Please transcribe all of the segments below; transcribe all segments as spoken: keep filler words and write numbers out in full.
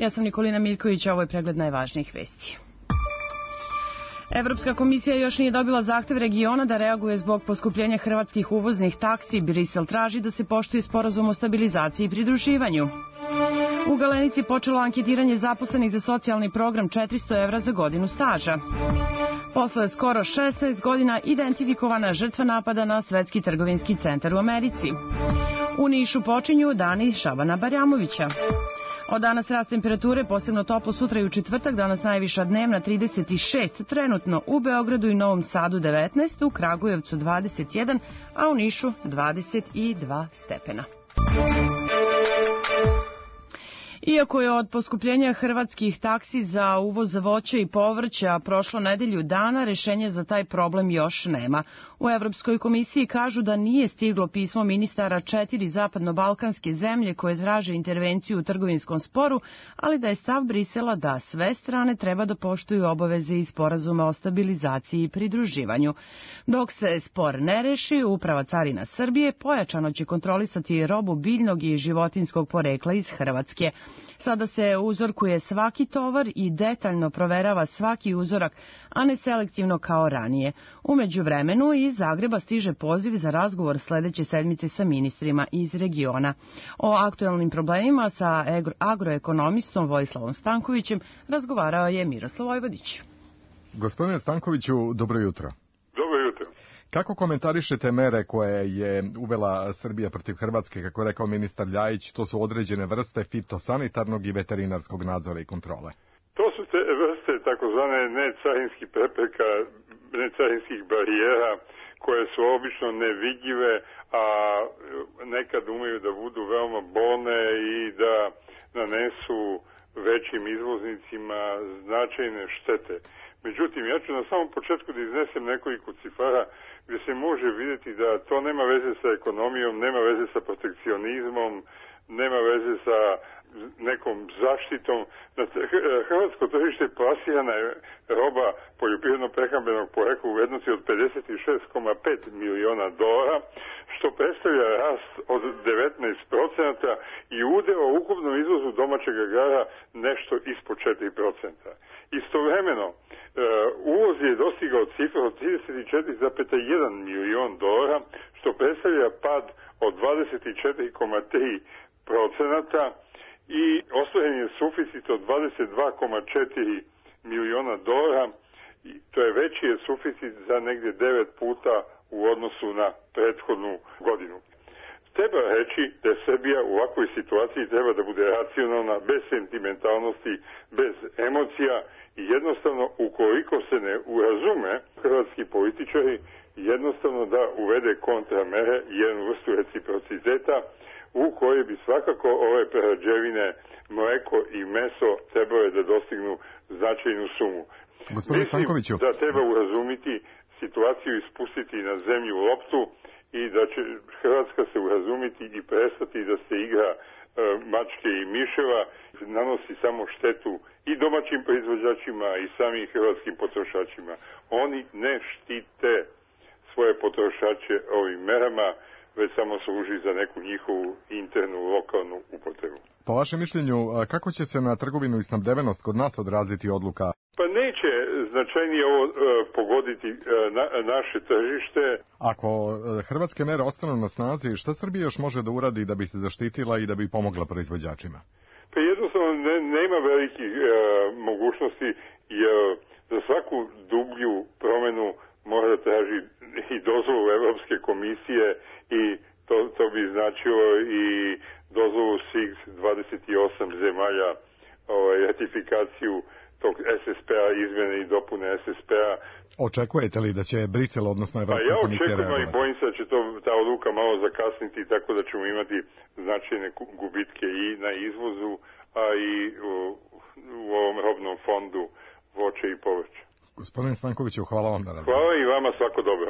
Ja sam Nikolina Miljković, a ovo je pregled najvažnijih vesti. Evropska komisija još nije dobila zahtev regiona da reaguje zbog poskupljenja hrvatskih uvoznih taksi. Brisel traži da se poštuje sporazum o stabilizaciji i pridruživanju. U Galenici počelo anketiranje zaposlenih za socijalni program četiristo evra za godinu staža. Posle skoro šesnaest godina identifikovana žrtva napada na Svetski trgovinski centar u Americi. U Nišu počinju dani Šabana Barjamovića. Od danas rast temperature, posebno toplo sutra i u četvrtak, danas najviša dnevna trideset šest, trenutno u Beogradu i Novom Sadu devetnaest, u Kragujevcu dvadeset jedan, a u Nišu dvadeset dva stepena. Iako je od poskupljenja hrvatskih taksi za uvoz voća i povrća prošlo nedelju dana, rešenja za taj problem još nema. U Evropskoj komisiji kažu da nije stiglo pismo ministara četiri zapadno-balkanske zemlje koje traže intervenciju u trgovinskom sporu, ali da je stav Brisela da sve strane treba da poštuju obaveze iz sporazuma o stabilizaciji i pridruživanju. Dok se spor ne reši, Uprava carina Srbije pojačano će kontrolisati robu biljnog i životinskog porekla iz Hrvatske. Sada se uzorkuje svaki tovar i detaljno proverava svaki uzorak, a ne selektivno kao ranije. U međuvremenu iz Zagreba stiže poziv za razgovor sledeće sedmice sa ministrima iz regiona. O aktuelnim problemima sa agroekonomistom Vojislavom Stankovićem razgovarao je Miroslav Vojvodić. Gospodine Stankoviću, dobro jutro. Dobro jutro. Kako komentarišete mere koje je uvela Srbija protiv Hrvatske, kako je rekao ministar Ljajić, to su određene vrste fitosanitarnog i veterinarskog nadzora i kontrole? To su te vrste takozvane necarinskih prepreka, necarinskih barijera, koje su obično nevidljive, a nekad umeju da budu veoma bolne i da nanesu većim izvoznicima značajne štete. Međutim, ja ću na samom početku da iznesem nekoliko cifara gdje se može vidjeti da to nema veze sa ekonomijom, nema veze sa protekcionizmom, nema veze sa nekom zaštitom. Na hrvatsko tržište plasirana je roba poljoprivredno-prehrambenog porekla u vrednosti od pedeset šest zarez pet miliona dolara, što predstavlja rast od devetnaest procenata i udeo u ukupnom izvozu domaćeg agrara nešto ispod četiri procenta. Istovremeno, uvoz je dostigao cifru od trideset četiri zarez jedan milion dolara, što predstavlja pad od dvadeset četiri zarez tri procenata i ostvaren je suficit od dvadeset dva zarez četiri miliona dolara. To je veći je suficit za negdje devet puta u odnosu na prethodnu godinu. Treba reći da je Srbija u ovakvoj situaciji treba da bude racionalna, bez sentimentalnosti, bez emocija i jednostavno ukoliko se ne urazume hrvatski političari, jednostavno da uvede kontramere, jednu vrstu reciprociteta u kojoj bi svakako ove prerađevine, mleko i meso trebale da dostignu značajnu sumu. Gospodine Stankoviću, da treba urazumiti situaciju i spustiti na zemlju loptu i da će Hrvatska se urazumiti i prestati da se igra e, mačke i miševa, nanosi samo štetu i domaćim proizvođačima i samim hrvatskim potrošačima. Oni ne štite svoje potrošače ovim merama, već samo služi za neku njihovu internu lokalnu upotrebu. Po vašem mišljenju, kako će se na trgovinu i snabdevenost kod nas odraziti odluka? Pa neće značajnije ovo e, pogoditi e, na, naše tržište. Ako e, hrvatske mere ostanu na snazi, šta Srbija još može da uradi da bi se zaštitila i da bi pomogla proizvođačima? Pa jednostavno ne, nema velikih e, mogućnosti, jer za svaku dublju promenu mora da traži i dozvolu Evropske komisije i to, to bi značilo i dozvolu svih dvadeset osam zemalja, ovaj, ratifikaciju tog es es pe a, izmjene i dopune es es pe a. Očekujete li da će Brisel, odnosno Evropska pa ja komisija reagovati? Ja očekujem i bojim se da će to, ta odluka malo zakasniti, tako da ćemo imati značajne gubitke i na izvozu, a i u, u ovom robnom fondu voća i povrća. Gospodin Stankoviću, hvala vam na razgovor. Hvala i vama, svako dobro.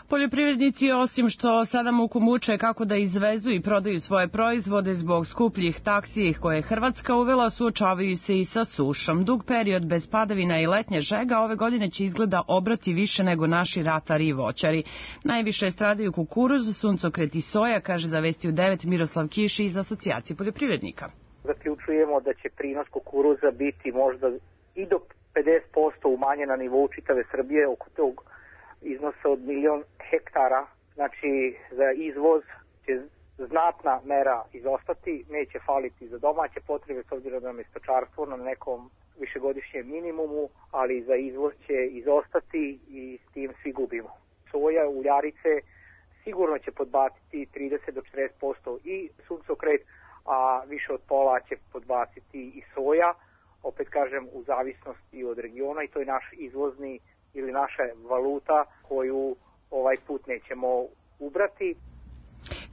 Poljoprivrednici, osim što sada muku muče kako da izvezu i prodaju svoje proizvode zbog skupljih taksi koje je Hrvatska uvela, suočavaju se i sa sušom. Dug period bez padavina i letnje žega ove godine će izgleda obrati više nego naši ratari i voćari. Najviše stradaju kukuruz, suncokret i soja, kaže za Vesti u devet Miroslav Kiš iz Asocijacije poljoprivrednika. Zaključujemo da će prinos kukuruza biti možda i do pedeset posto umanjen na nivou čitave Srbije, oko tog iznosa od milion hektara. Znači za izvoz će znatna mera izostati, neće faliti za domaće potrebe s obzirom da je stočarstvo na nekom višegodišnjem minimumu, ali za izvoz će izostati i s tim svi gubimo. Soja, uljarice sigurno će podbaciti trideset do četrdeset posto i suncokret, a više od pola će podbaciti i soja, opet kažem u zavisnosti od regiona, i to je naš izvozni ili naša valuta koju ovaj put nećemo ubrati.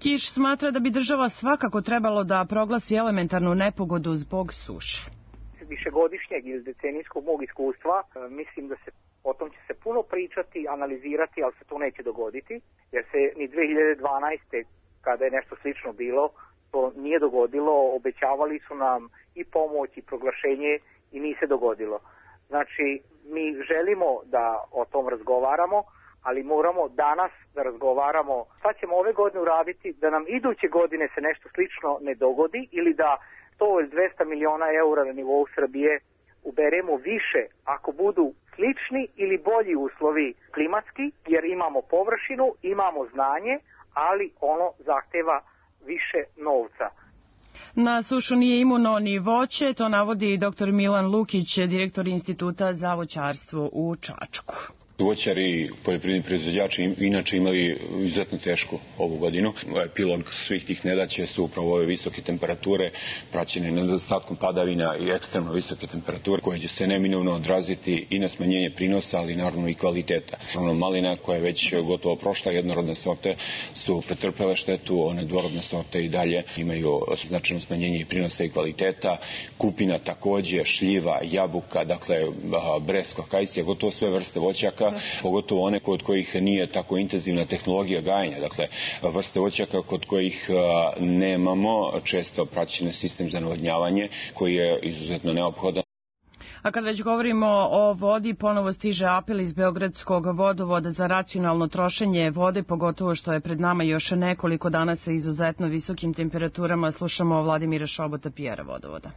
Kiš smatra da bi država svakako trebalo da proglasi elementarnu nepogodu zbog suše. Višegodišnjeg ili decenijskog mog iskustva, mislim da se o tom će se puno pričati, analizirati, ali se to neće dogoditi, jer se ni dve hiljade dvanaeste. kada je nešto slično bilo, to nije dogodilo, obećavali su nam i pomoć i proglašenje i nije se dogodilo. Znači, mi želimo da o tom razgovaramo, ali moramo danas da razgovaramo šta ćemo ove godine uraditi da nam iduće godine se nešto slično ne dogodi ili da sto ili dvesta miliona eura na nivou Srbije uberemo više ako budu slični ili bolji uslovi klimatski, jer imamo površinu, imamo znanje, ali ono zahteva više novca. Na sušu nije imuno ni voće, to navodi i doktor Milan Lukić, direktor Instituta za voćarstvo u Čačku. Voćari i poljoprivredni proizvođači inače imali izuzetno tešku ovu godinu. Epilog svih tih nedaća su upravo ove visoke temperature, praćene nedostatkom padavina i ekstremno visoke temperature koje će se neminovno odraziti i na smanjenje prinosa, ali naravno i kvaliteta. Malina koja je već gotovo prošla, jednorodne sorte su pretrpele štetu, one dvorodne sorte i dalje imaju značajno smanjenje i prinosa i kvaliteta. Kupina takođe, šljiva, jabuka, dakle bresko, kajsija, gotovo sve vrste voćaka, pogotovo one kod kojih nije tako intenzivna tehnologija gajenja, dakle vrste voćaka kod kojih nemamo često praćen sistem za navodnjavanje koji je izuzetno neophodan. A kad već govorimo o vodi, ponovo stiže apel iz Beogradskog vodovoda za racionalno trošenje vode, pogotovo što je pred nama još nekoliko dana sa izuzetno visokim temperaturama. Slušamo Vladimira Šobota, P R-a vodovoda.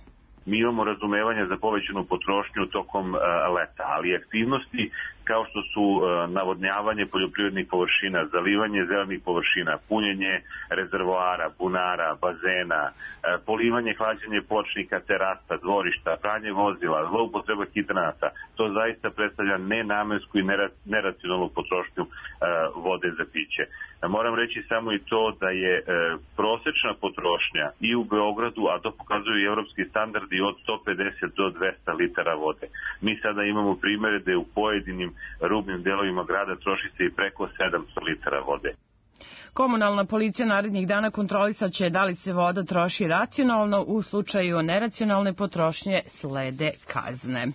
Mi imamo razumevanje za povećanu potrošnju tokom uh, leta, ali aktivnosti kao što su uh, navodnjavanje poljoprivrednih površina, zalivanje zelenih površina, punjenje rezervoara, bunara, bazena, uh, polivanje, hlađenje pločnika, terasa, dvorišta, pranje vozila, zloupotreba hidranata, to zaista predstavlja nenamensku i neracionalnu potrošnju uh, vode za piće. Moram reći samo i to da je uh, prosečna potrošnja i u Beogradu, a to pokazuju i evropski standardi, od sto pedeset do dvesta litara vode. Mi sada imamo primere da je u pojedinim rubnim delovima grada troši se i preko sedamsto litara vode. Komunalna policija narednih dana kontrolisaće da li se voda troši racionalno, u slučaju neracionalne potrošnje slede kazne.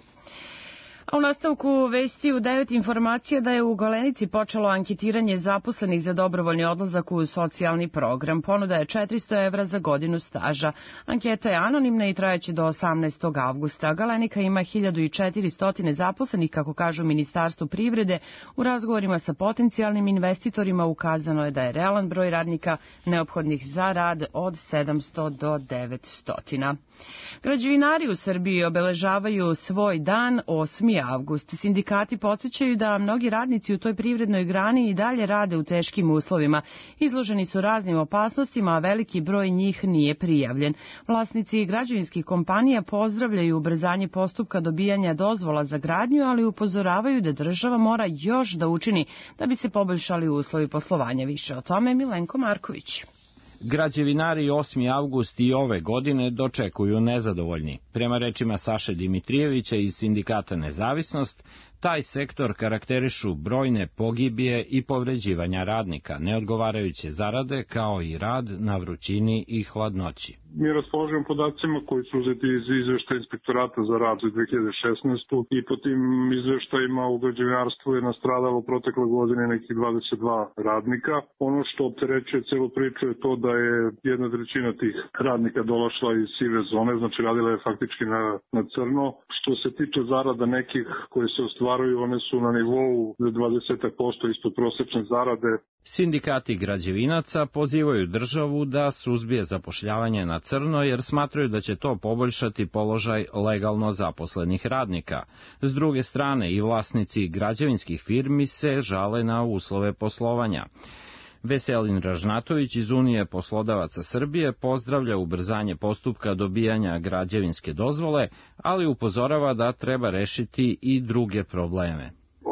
A u nastavku vesti u devet informacija da je u Galenici počelo anketiranje zaposlenih za dobrovoljni odlazak u socijalni program. Ponuda je četiristo evra za godinu staža. Anketa je anonimna i trajeće do osamnaestog avgusta. Galenika ima hiljadu četiristo zaposlenih, kako kažu Ministarstvu privrede. U razgovorima sa potencijalnim investitorima ukazano je da je realan broj radnika neophodnih za rad od sedamsto do devetsto. Građevinari u Srbiji obeležavaju svoj dan osmi avgust. Sindikati podsjećaju da mnogi radnici u toj privrednoj grani i dalje rade u teškim uslovima. Izloženi su raznim opasnostima, a veliki broj njih nije prijavljen. Vlasnici građevinskih kompanija pozdravljaju ubrzanje postupka dobijanja dozvola za gradnju, ali upozoravaju da država mora još da učini da bi se poboljšali uslovi poslovanja. Više o tome Milenko Marković. Građevinari osmi avgust i ove godine dočekuju nezadovoljni. Prema rečima Saše Dimitrijevića iz sindikata Nezavisnost, taj sektor karakterišu brojne pogibije i povređivanja radnika, neodgovarajuće zarade kao i rad na vrućini i hladnoći. Mi raspolažemo podacima koji su uzeti iz izveštaja Inspektorata za rad za dve hiljade šesnaestu. i po tim izveštajima u građevinarstvu je nastradalo protekle godine nekih dvadeset dva radnika. Ono što opterećuje celu priču je to da je jedna trećina tih radnika došla iz sive zone, znači radila je faktički na, na crno. Što se tiče zarada nekih koji se ostvarili ostvaruju, one su na nivou dvadeset posto ispod prosečne zarade. Sindikati građevinaca pozivaju državu da suzbije zapošljavanje na crno jer smatraju da će to poboljšati položaj legalno zaposlenih radnika. S druge strane i vlasnici građevinskih firmi se žale na uslove poslovanja. Veselin Ražnatović iz Unije poslodavaca Srbije pozdravlja ubrzanje postupka dobijanja građevinske dozvole, ali upozorava da treba rešiti i druge probleme.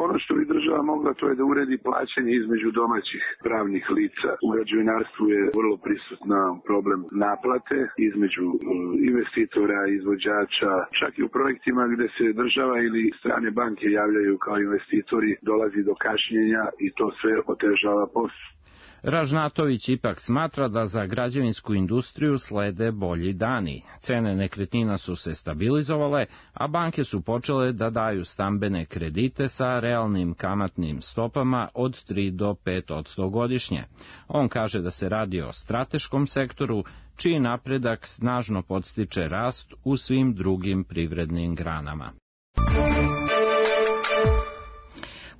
Ono što bi država mogla, to je da uredi plaćanje između domaćih pravnih lica. U građevinarstvu je vrlo prisutna problem naplate između investitora, izvođača, čak i u projektima gde se država ili strane banke javljaju kao investitori, dolazi do kašnjenja i to sve otežava posao. Ražnatović ipak smatra da za građevinsku industriju slede bolji dani. Cene nekretnina su se stabilizovale, a banke su počele da daju stambene kredite sa realnim kamatnim stopama od tri do pet posto godišnje. On kaže da se radi o strateškom sektoru, čiji napredak snažno podstiče rast u svim drugim privrednim granama.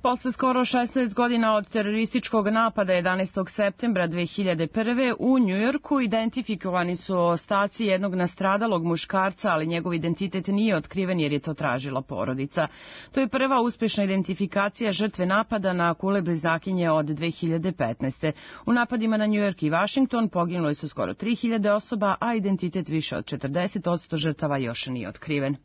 Posle skoro šesnaest godina od terorističkog napada jedanaestog septembra dve hiljade prve. u Njujorku identifikovani su ostaci jednog nastradalog muškarca, ali njegov identitet nije otkriven jer je to tražila porodica. To je prva uspešna identifikacija žrtve napada na kule bliznakinje od dve hiljade petnaeste. U napadima na Njujork i Vašington poginuli su skoro tri hiljade osoba, a identitet više od četrdeset posto žrtava još nije otkriven.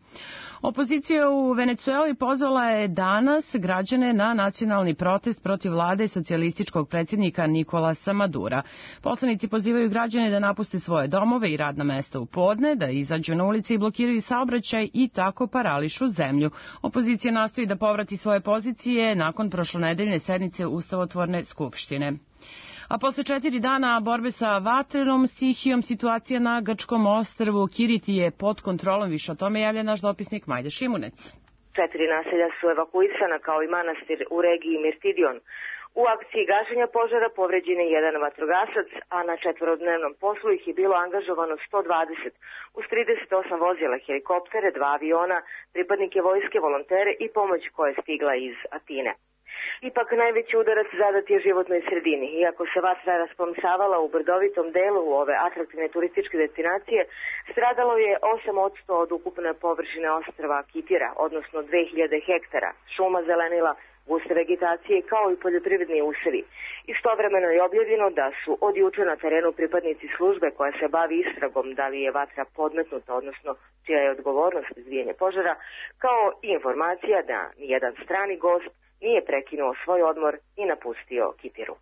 Opozicija u Venecueli pozvala je danas građane na nacionalni protest protiv vlade socijalističkog predsjednika Nikolasa Madura. Poslanici pozivaju građane da napuste svoje domove i radna mesta u podne, da izađu na ulice i blokiraju saobraćaj i tako parališu zemlju. Opozicija nastoji da povrati svoje pozicije nakon prošlonedeljne sednice Ustavotvorne skupštine. A posle četiri dana borbe sa vatrenom stihijom, situacija na grčkom ostrvu Kiriti je pod kontrolom. Više o tome javlja naš dopisnik Majda Šimunec. Četiri naselja su evakuisana kao i manastir u regiji Mirtidion. U akciji gašenja požara povređen je jedan vatrogasac, a na četvorodnevnom poslu ih je bilo angažovano sto dvadeset, uz trideset osam vozila, helikoptere, dva aviona, pripadnike vojske, volontere i pomoć koja je stigla iz Atine. Ipak najveći udarac zadat je životnoj sredini. Iako se vatra rasplamsavala u brdovitom delu ove atraktivne turističke destinacije, stradalo je osam posto od ukupne površine ostrva Kitira, odnosno dve hiljade hektara, šuma zelenila, guste vegetacije kao i poljoprivredni usevi. Istovremeno je objavljeno da su od juče na terenu pripadnici službe koja se bavi istragom da li je vatra podmetnuta, odnosno čija je odgovornost izbijanja požara, kao i informacija da nijedan strani gost nije prekinuo svoj odmor i napustio Kitiru.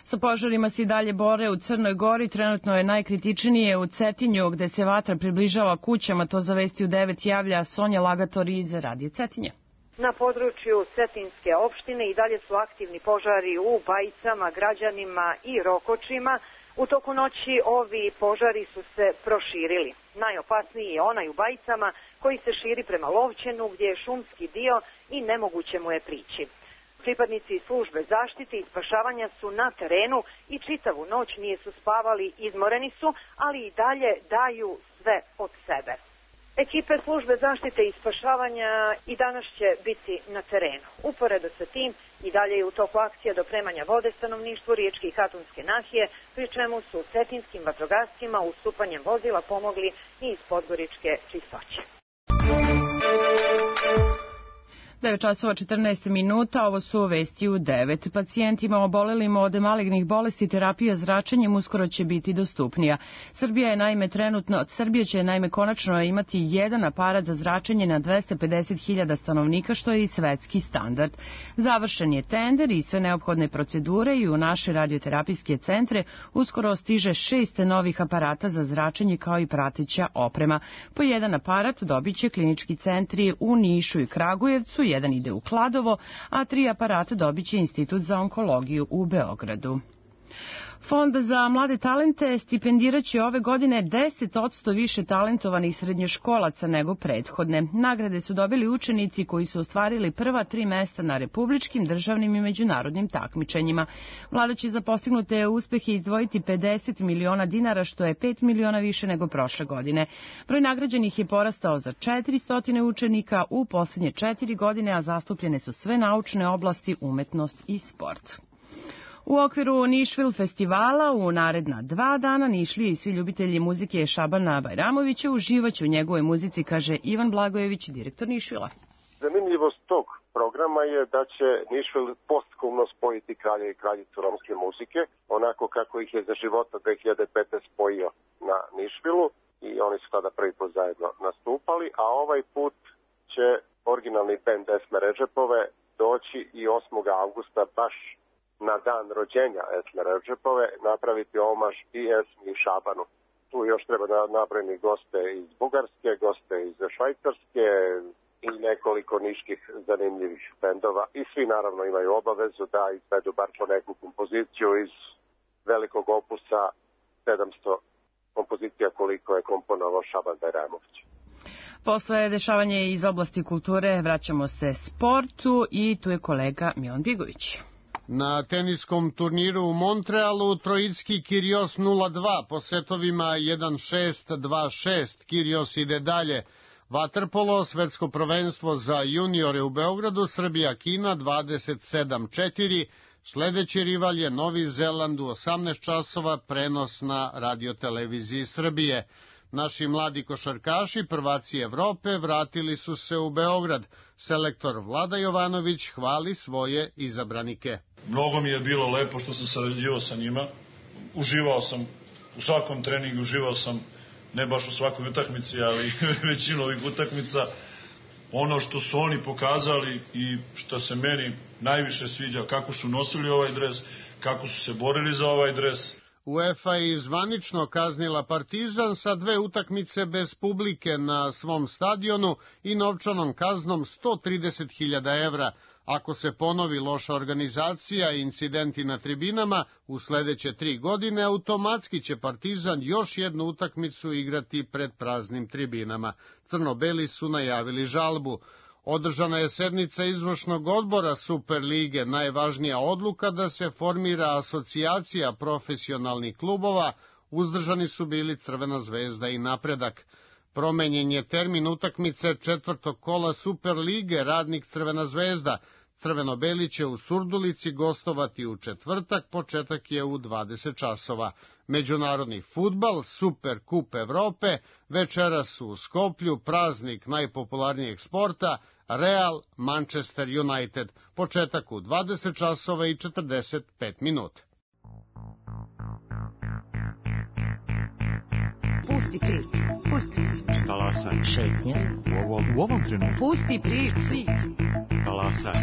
Sa požarima se i dalje bore u Crnoj Gori. Trenutno je najkritičnije u Cetinju, gde se vatra približava kućama. To za Vesti u devet javlja Sonja Lagator iz Radio Cetinje. Na području Cetinske opštine i dalje su aktivni požari u Bajicama, Građanima i Rokočima. U toku noći ovi požari su se proširili. Najopasniji je onaj u Bajicama koji se širi prema Lovćenu gdje je šumski dio i nemoguće mu je prići. Pripadnici službe zaštite i spašavanja su na terenu i čitavu noć nisu spavali, izmoreni su, ali i dalje daju sve od sebe. Ekipe službe zaštite i spašavanja i danas će biti na terenu. Uporedo sa tim i dalje je u toku akcija dopremanja vode stanovništvu Riječke i Katunske nahije, pri čemu su cetinskim vatrogascima ustupanjem vozila pomogli i iz Podgoričke Čistoće. devet časova četrnaest minuta, ovo su Vesti u devet. Pacijentima obolelima od malignih bolesti terapija zračenjem uskoro će biti dostupnija. Srbija je naime trenutno, Srbija će naime konačno imati jedan aparat za zračenje na dvesta pedeset hiljada stanovnika, što je i svetski standard. Završen je tender i sve neophodne procedure i u naše radioterapijske centre uskoro stiže šest novih aparata za zračenje kao i prateća oprema. Po jedan aparat dobit će klinički centri u Nišu i Kragujevcu, jedan ide u Kladovo, a tri aparata dobit će Institut za onkologiju u Beogradu. Fond za mlade talente stipendiraće ove godine deset posto više talentovanih srednjoškolaca nego prethodne. Nagrade su dobili učenici koji su ostvarili prva tri mesta na republičkim, državnim i međunarodnim takmičenjima. Vlada će za postignute uspehe izdvojiti pedeset miliona dinara, što je pet miliona više nego prošle godine. Broj nagrađenih je porastao za četiristo učenika u poslednje četiri godine, a zastupljene su sve naučne oblasti, umetnost i sport. U okviru Nišvil festivala u naredna dva dana Nišlije i svi ljubitelji muzike Šabana Bajramovića uživaće u njegovoj muzici, kaže Ivan Blagojević, direktor Nišvila. Zanimljivost tog programa je da će Nišvil postkumno spojiti kralje i kraljicu romske muzike, onako kako ih je za života dve hiljade pete. spojio na Nišvilu i oni su tada prvi put zajedno nastupali, a ovaj put će originalni bend Esme Redžepove doći i osmog avgusta baš na dan rođenja Esme Redžepove napraviti omaž i Esmi i Šabanu. Tu još treba da nabrojeni goste iz Bugarske, goste iz Švajcarske i nekoliko niških zanimljivih bendova. I svi naravno imaju obavezu da izvedu bar po neku kompoziciju iz velikog opusa sedamsto kompozicija koliko je komponovao Šaban Bajramović. Posle dešavanja iz oblasti kulture vraćamo se sportu i tu je kolega Milan Bigović. Na teniskom turniru u Montrealu Trojicki Kyrgios nula dva po setovima jedan šest, dva šest. Kyrgios ide dalje. Vaterpolo, svetsko prvenstvo za juniore u Beogradu, Srbija-Kina dvadeset sedam četiri. Sledeći rival je Novi Zeland u osamnaest časova, prenos na radioteleviziji Srbije. Naši mladi košarkaši, prvaci Evrope, vratili su se u Beograd. Selektor Vlada Jovanović hvali svoje izabranike. Mnogo mi je bilo lepo što sam sarađivao sa njima. Uživao sam u svakom treningu, uživao sam ne baš u svakoj utakmici, ali većinu ovih utakmica. Ono što su oni pokazali i što se meni najviše sviđa, kako su nosili ovaj dres, kako su se borili za ovaj dres. UEFA je zvanično kaznila Partizan sa dve utakmice bez publike na svom stadionu i novčanom kaznom sto trideset hiljada evra. Ako se ponovi loša organizacija i incidenti na tribinama, u sledeće tri godine automatski će Partizan još jednu utakmicu igrati pred praznim tribinama. Crno-beli su najavili žalbu. Održana je sednica izvršnog odbora Superlige, najvažnija odluka da se formira asocijacija profesionalnih klubova, uzdržani su bili Crvena zvezda i Napredak. Promenjen je termin utakmice četvrtog kola Superlige, Radnik Crvena zvezda. Crveno-beli će u Surdulici gostovati u četvrtak, početak je u dvadeset časova. Međunarodni fudbal, Super kup Evrope, večeras u Skoplju, praznik najpopularnijeg sporta, Real Manchester United, početak u dvadeset časova i četrdeset pet minuta. Pusti priču, pusti priču. Talasaj. Šetnja. U ovom, u ovom trenutku. Pusti priču. Talasaj.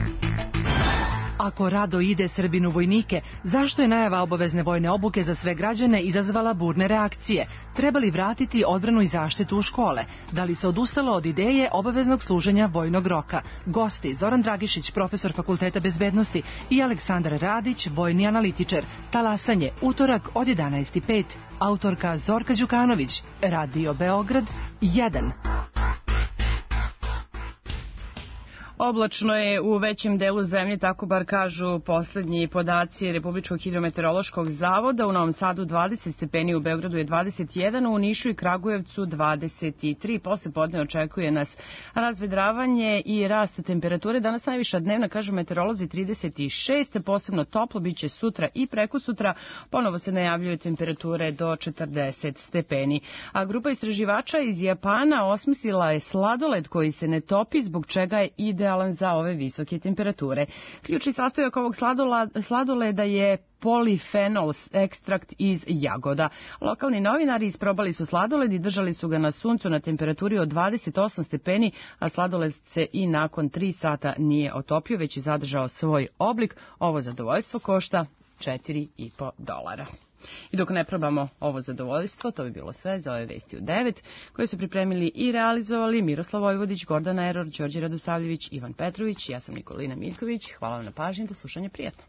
Ako rado ide Srbin u vojnike, zašto je najava obavezne vojne obuke za sve građane izazvala burne reakcije? Treba li vratiti odbranu i zaštitu u škole? Da li se odustalo od ideje obaveznog služenja vojnog roka? Gosti Zoran Dragišić, profesor Fakulteta bezbednosti, i Aleksandar Radić, vojni analitičar. Talasanje, utorak od jedanaest i pet. Autorka Zorka Đukanović, Radio Beograd jedan. Oblačno je u većem delu zemlje, tako bar kažu poslednji podaci Republičkog hidrometeorološkog zavoda. U Novom Sadu dvadeset stepeni, u Beogradu je dvadeset jedan, u Nišu i Kragujevcu dvadeset tri. Posle podne očekuje nas razvedravanje i rast temperature. Danas najviša dnevna, kažu meteorolozi, trideset šest, posebno toplo biće sutra i prekosutra. Ponovo se najavljuju temperature do četrdeset stepeni. A grupa istraživača iz Japana osmislila je sladoled koji se ne topi, zbog čega je ide za ove visoke temperature. Ključni sastojak ovog sladoleda je polifenol ekstrakt iz jagoda. Lokalni novinari isprobali su sladoled i držali su ga na suncu na temperaturi od dvadeset osam stepeni, a sladoled se i nakon tri sata nije otopio, već je zadržao svoj oblik. Ovo zadovoljstvo košta četiri i po dolara. I dok ne probamo ovo zadovoljstvo, to bi bilo sve za ove vesti u devet, koje su pripremili i realizovali Miroslav Vojvodić, Gordana Eror, Đorđe Radosavljević, Ivan Petrović, ja sam Nikolina Miljković. Hvala vam na pažnji, do slušanja, prijatno.